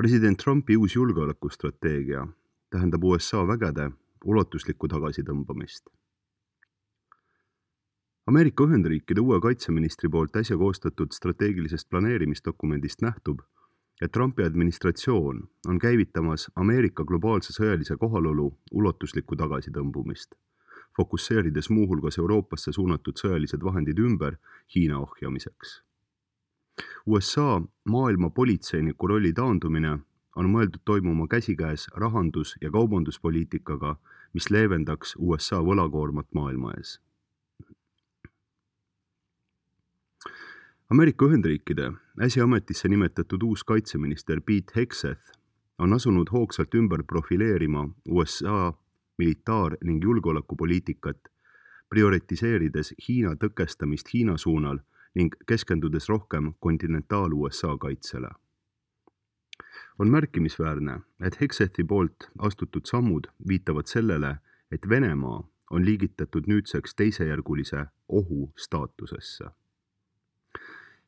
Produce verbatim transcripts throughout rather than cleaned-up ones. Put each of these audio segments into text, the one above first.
President Trumpi uus julgeolekustrateegia tähendab U S A vägede ulatuslikku tagasitõmbamist. Ameerika Ühendriikide uue kaitseministri poolt äsja koostatud strateegilisest planeerimisdokumendist nähtub, et Trumpi administratsioon on käivitamas Ameerika globaalse sõjalise kohalolu ulatuslikku tagasitõmbumist, fokusseerides muuhulgas Euroopasse suunatud sõjalised vahendid ümber Hiina ohjamiseks. U S A maailma politseiniku rolli taandumine on mõeldud toimuma käsikäes rahandus- ja kaubanduspoliitikaga, mis leevendaks U S A võlakoormat maailma ees. Ameerika Ühendriikide äsja ametisse nimetatud uus kaitseminister Pete Hegseth on asunud hoogsalt ümber profileerima U S A militaar- ning julgeolekupoliitikat, prioritiseerides Hiina tõkestamist Hiina suunal ning keskendudes rohkem kontinentaal-U S A kaitsele. On märkimisväärne, et Hegsethi poolt astutud sammud viitavad sellele, et Venemaa on liigitatud nüüdseks teisejärgulise ohu staatusesse.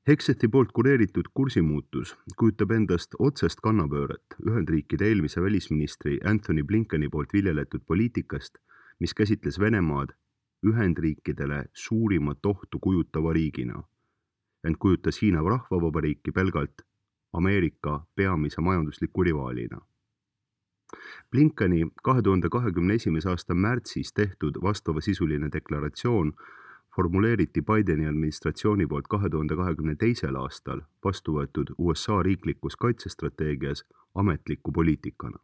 Hegsethi poolt kureeritud kursimuutus kujutab endast otsest kannapööret Ühendriikide eelmise välisministri Anthony Blinkeni poolt viljeletud poliitikast, mis käsitles Venemaad Ühendriikidele suurimat ohtu kujutava riigina, ent kujutas Hiina Rahvavabariiki pelgalt Ameerika peamise majandusliku rivaalina. Blinkeni kahe tuhande kahekümne esimese aasta märtsis tehtud vastavasisuline deklaratsioon formuleeriti Bideni administratsiooni poolt kahe tuhande kahekümne teisel aastal vastu võetud U S A riiklikus kaitsestrateegias ametliku poliitikana.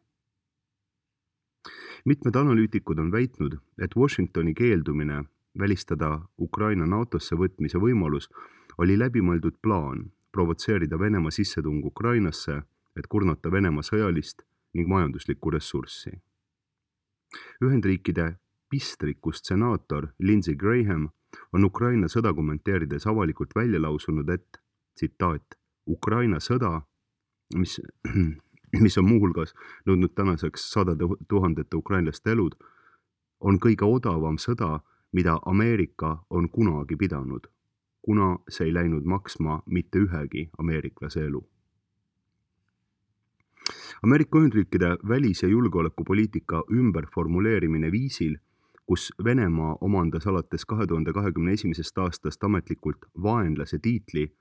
Mitmed analüütikud on väitnud, et Washingtoni keeldumine välistada Ukraina NATOsse võtmise võimalus oli läbimõeldud plaan provotseerida Venemaa sissetung Ukrainasse, et kurnata Venemaa sõjalist ning majanduslikku ressurssi. Ühendriikide pistrikust senaator Lindsey Graham on Ukraina sõda kommenteerides avalikult välja lausunud, et, tsitaat, Ukraina sõda, mis, mis on muuhulgas nõudnud tänaseks sadade tuhandete ukrainlaste elud, on kõige odavam sõda, mida Ameerika on kunagi pidanud, kuna see ei läinud maksma mitte ühegi ameeriklase elu. Ameerika Ühendriikide välis- ja julgeolekupoliitika ümberformuleerimine viisil, kus Venemaa omandas alates kahe tuhande kahekümne esimesest aastast ametlikult vaenlase tiitli,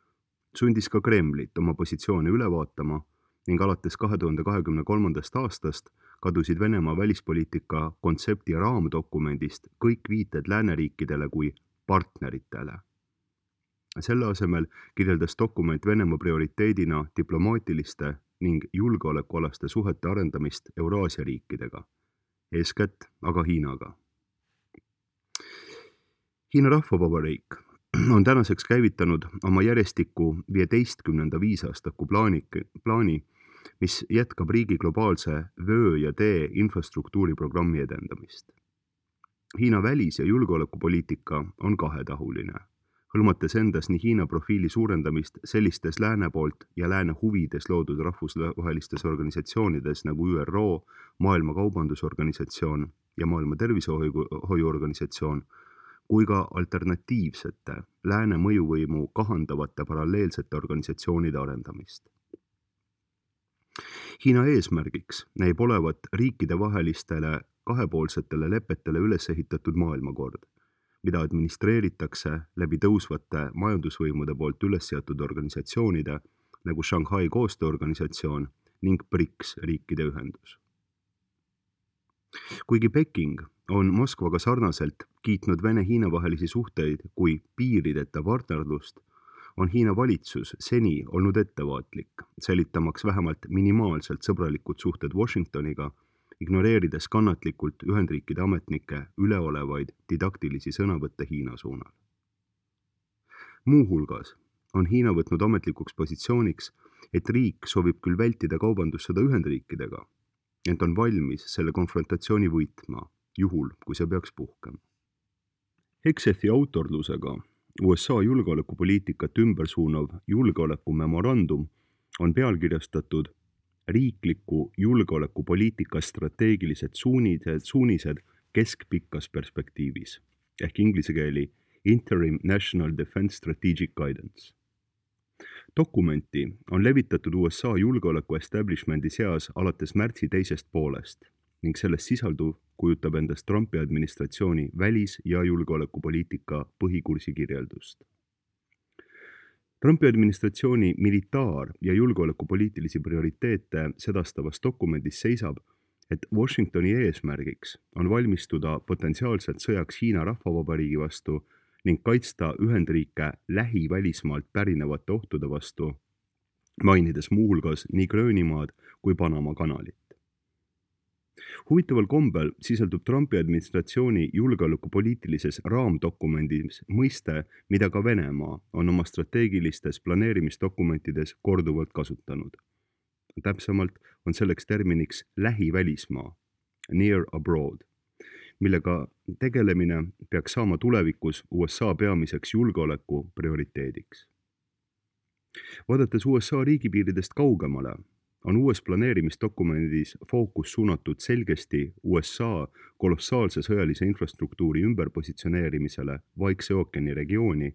sundis ka Kremlit oma positsioone üle vaatama ning alates kahe tuhande kahekümne kolmandast aastast kadusid Venemaa välispoliitika kontsepti raamdokumendist kõik viited lääneriikidele kui partneritele. Selle asemel kirjeldas dokument Venemaa prioriteedina diplomaatiliste ning julgeolekualaste suhete arendamist Euraasia riikidega, eeskätt aga Hiinaga. Hiina Rahvavabariik on tänaseks käivitanud oma järjestikku viieteistkümnenda viisaastaku plaani, plaani, mis jätkab riigi globaalse vöö ja tee infrastruktuuri programmi edendamist. Hiina välis- ja julgeolekupoliitika on kahetahuline, hõlmates endas nii Hiina profiili suurendamist sellistes lääne poolt ja lääne huvides loodud rahvusvahelistes organisatsioonides nagu Ü R O, Maailma Kaubandusorganisatsioon ja Maailma Tervishoiuorganisatsioon, kui ka alternatiivsete lääne mõjuvõimu kahandavate paralleelsete organisatsioonide arendamist. Hiina eesmärgiks näib olevat riikidevahelistele kahepoolsetele lepetele üles ehitatud maailmakord, mida administreeritakse läbi tõusvate majandusvõimude poolt üles seatud organisatsioonide nagu Shanghai koostööorganisatsioon ning BRICS riikide ühendus. Kuigi Peking on Moskvaga sarnaselt kiitnud Vene-Hiina vahelisi suhteid kui piirideta partnerlust, on Hiina valitsus seni olnud ettevaatlik, säilitamaks vähemalt minimaalselt sõbralikud suhted Washingtoniga, ignoreerides kannatlikult Ühendriikide ametnike üleolevaid didaktilisi sõnavõtte Hiina suunal. Muuhulgas on Hiina võtnud ametlikuks positsiooniks, et riik soovib küll vältida kaubandussõda Ühendriikidega, ent on valmis selle konfrontatsiooni võitma, juhul kui see peaks puhkema. Hegsethi autorlusega U S A julgeolekupoliitikat ümbersuunav julgeolekumemorandum on pealkirjastatud riikliku julgeolekupoliitika strateegilised suunised, suunised keskpikas perspektiivis ehk inglise keeli Interim National Defense Strategic Guidance. Dokumenti on levitatud U S A julgeoleku establishmendi seas alates märtsi teisest poolest ning selles sisalduv kujutab endast Trumpi administratsiooni välis- ja julgeolekupoliitika põhikursi kirjeldust. Trumpi administratsiooni militaar- ja julgeolekupoliitilisi prioriteete sedastavas dokumendis seisab, et Washingtoni eesmärgiks on valmistuda potentsiaalselt sõjaks Hiina Rahvavabariigi vastu ning kaitsta Ühendriike lähivälismaalt pärinevate ohtude vastu, mainides muuhulgas nii Gröönimaad kui Panama kanalit. Huvitaval kombel sisaldub Trumpi administratsiooni julgeolekupoliitilises raamdokumendis mõiste, mida ka Venemaa on oma strateegilistes planeerimisdokumentides korduvalt kasutanud. Täpsemalt on selleks terminiks lähivälismaa, near abroad, millega tegelemine peaks saama tulevikus U S A peamiseks julgeoleku prioriteediks. Vaadates U S A riigipiiridest kaugemale, on uues planeerimisdokumendis fookus suunatud selgesti U S A kolossaalse sõjalise infrastruktuuri ümberpositsioneerimisele Vaikse ookeani regiooni,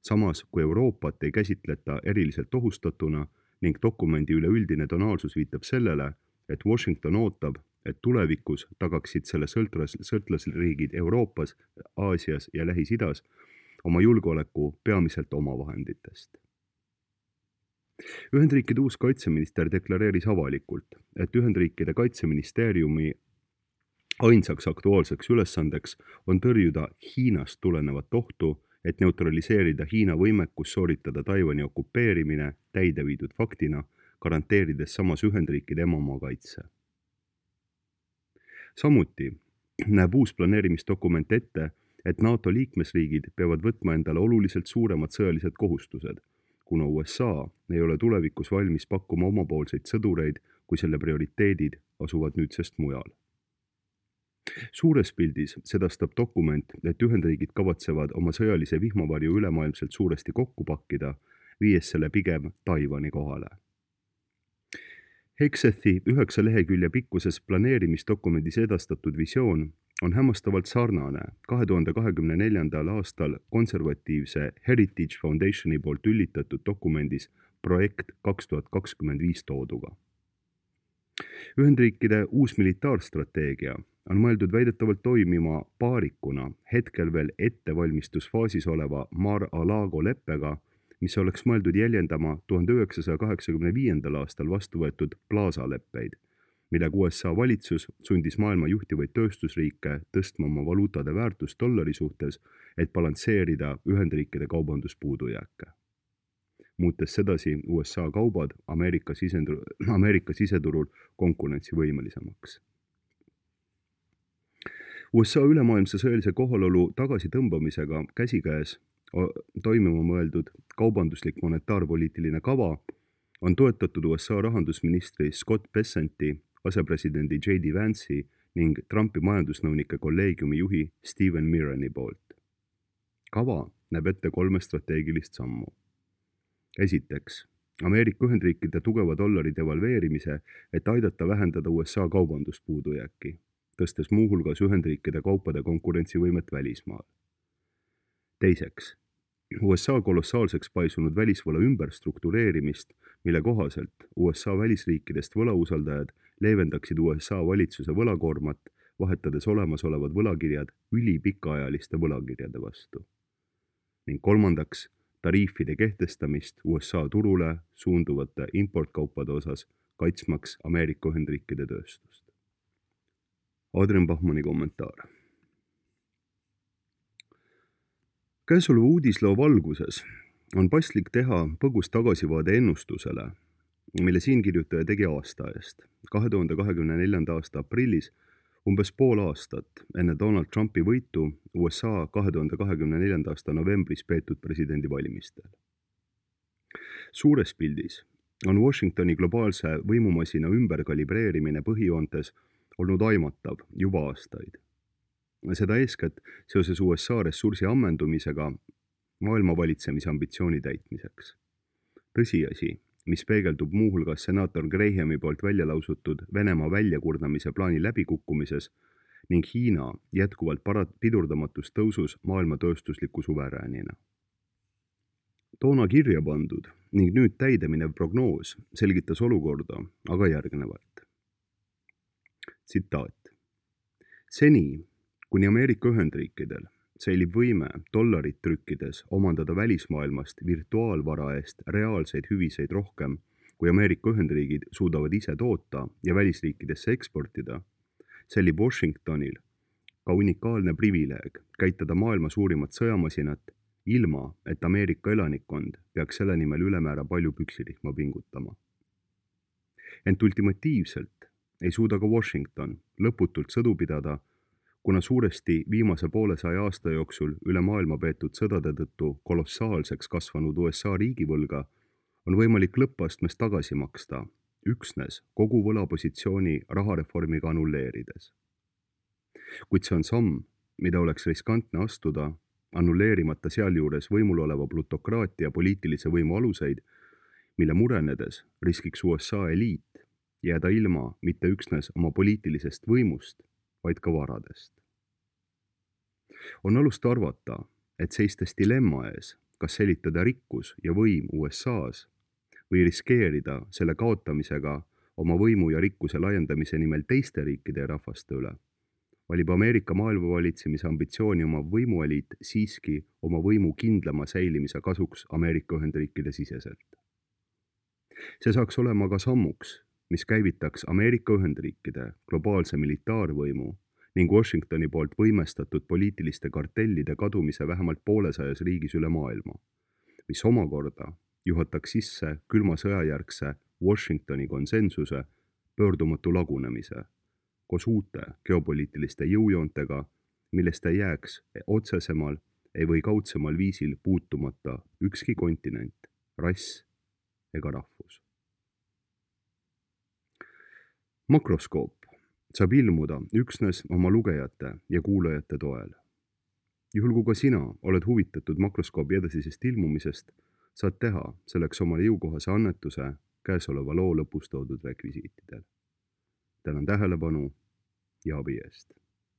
samas kui Euroopat ei käsitleta eriliselt ohustatuna ning dokumendi üleüldine tonaalsus viitab sellele, et Washington ootab, et tulevikus tagaksid selle sõltlas, sõltlasriigid Euroopas, Aasias ja Lähis-Idas oma julgeoleku peamiselt omavahenditest. Ühendriikide uus kaitseminister deklareeris avalikult, et Ühendriikide kaitseministeeriumi ainsaks aktuaalseks ülesandeks on tõrjuda Hiinast tulenevat ohtu, et neutraliseerida Hiina võimekus sooritada Taiwani okupeerimine täide viidud faktina, garanteerides samas Ühendriikide emamaa kaitse. Samuti näeb uus planeerimisdokument ette, et NATO liikmesriigid peavad võtma endale oluliselt suuremad sõjalised kohustused, kuna U S A ei ole tulevikus valmis pakkuma omapoolseid sõdureid, kui selle prioriteedid asuvad nüüdsest mujal. Suures pildis sedastab dokument, et Ühendriigid kavatsevad oma sõjalise vihmavarju ülemaailmselt suuresti kokku pakkida, viies selle pigem Taiwani kohale. Heksethi üheksa lehekülje pikkuses planeerimisdokumendis edastatud visioon on hämmastavalt sarnane kahe tuhande kahekümne neljandal aastal konservatiivse Heritage Foundationi poolt üllitatud dokumendis projekt kaks tuhat kakskümmend viis tooduga. Ühendriikide uus militaarstrateegia on mõeldud väidetavalt toimima paarikuna hetkel veel ettevalmistusfaasis oleva Mar-a-Lago leppega, mis oleks mõeldud jäljendama tuhande üheksasaja kaheksakümne viiendal aastal vastu võetud Plaza leppeid, millega U S A valitsus sundis maailma juhtivaid tööstusriike tõstma oma valuutade väärtust dollari suhtes, et balansseerida Ühendriikide kaubanduspuudujääke. Muutes sedasi U S A kaubad Ameerika, sisendur, Ameerika siseturul konkurentsivõimelisemaks. U S A ülemaailmse sõjalise kohalolu tagasitõmbamisega käsikäes toimuma mõeldud kaubanduslik monetaarpoliitiline kava on toetatud U S A rahandusministri Scott Bessenti, asepresidendi J D Vance'i ning Trumpi majandusnõunike kolleegiumi juhi Stephen Mirrani poolt. Kava näeb ette kolme strateegilist sammu. Esiteks, Ameerika Ühendriikide tugeva dollari devalveerimise, et aidata vähendada U S A kaubanduspuudujääki, tõstes muuhulgas Ühendriikide kaupade konkurentsivõimet välismaal. Teiseks, U S A kolossaalseks paisunud välisvõla ümberstruktureerimist, mille kohaselt U S A välisriikidest võlausaldajad leevendaksid U S A valitsuse võlakoormat, vahetades olemasolevad võlakirjad ülipikaajaliste võlakirjade vastu. Ning kolmandaks, tariifide kehtestamist U S A turule suunduvate importkaupade osas, kaitsmaks Ameerika Ühendriikide tööstust. Adrian Bachmanni kommentaar. Käesoleva uudisloo valguses on paslik teha põgus tagasivaade ennustusele, mille siinkirjutaja tegi aasta eest, kahe tuhande kahekümne neljanda aasta aprillis, umbes pool aastat enne Donald Trumpi võitu U S A kahe tuhande kahekümne neljanda aasta novembris peetud presidendivalimistel. Suures pildis on Washingtoni globaalse võimumasina ümberkalibreerimine põhijoontes olnud aimatav juba aastaid. Seda eeskätt seoses U S A ressursi ammendumisega maailma valitsemise ambitsiooni täitmiseks. Tõsiasi, mis peegeldub muuhulgas senaator Grahami poolt välja lausutud Venemaa väljakurnamise plaani läbikukkumises ning Hiina jätkuvalt parat pidurdamatus tõusus maailma tööstusliku suveräänina. toona kirja pandud ning nüüd täideminev prognoos selgitas olukorda aga järgnevalt. Tsitaat. Seni, kuni Ameerika Ühendriikidel säilib võime dollarit trükkides omandada välismaailmast virtuaalvara eest reaalseid hüviseid rohkem, kui Ameerika Ühendriigid suudavad ise toota ja välisriikidesse eksportida, säilib Washingtonil ka unikaalne privileeg käitada maailma suurimat sõjamasinat, ilma et Ameerika elanikkond peaks selle nimel ülemäära palju püksirihma pingutama. Ent ultimatiivselt ei suuda ka Washington lõputult sõdu pidada, kuna suuresti viimase poolesaja aasta jooksul üle maailma peetud sõdade tõttu kolossaalseks kasvanud U S A riigivõlga on võimalik lõppastmes tagasi maksta üksnes kogu võlapositsiooni rahareformiga annulleerides. Kuid see on samm, mida oleks riskantne astuda, annulleerimata sealjuures võimul oleva plutokraatia poliitilise võimu aluseid, mille murenedes riskiks U S A eliit jääda ilma mitte üksnes oma poliitilisest võimust, vaid ka varadest. On alust arvata, et seistes dilemma ees, kas säilitada rikkus ja võim U S A-s või riskeerida selle kaotamisega oma võimu ja rikkuse laiendamise nimel teiste riikide ja rahvaste üle, valib Ameerika maailmavalitsemise ambitsiooni oma võimueliit siiski oma võimu kindlama säilimise kasuks Ameerika Ühendriikide siseselt. See saaks olema ka sammuks, mis käivitaks Ameerika Ühendriikide globaalse militaarvõimu ning Washingtoni poolt võimestatud poliitiliste kartellide kadumise vähemalt poolesajas riigis üle maailma, mis omakorda juhataks sisse külma sõjajärgse Washingtoni konsensuse pöördumatu lagunemise koos uute geopoliitiliste jõujoontega, millest ei jääks otsesemal ei või kaudsemal viisil puutumata ükski kontinent, rass ega rahvus. Makroskoop saab ilmuda üksnes oma lugejate ja kuulajate toel. Juhul kui ka sina oled huvitatud makroskoobi edasisest ilmumisest, saad teha selleks omale jõukohase annetuse käesoleva loo lõpus toodud rekvisiitidel. Tänan tähelepanu ja abi eest.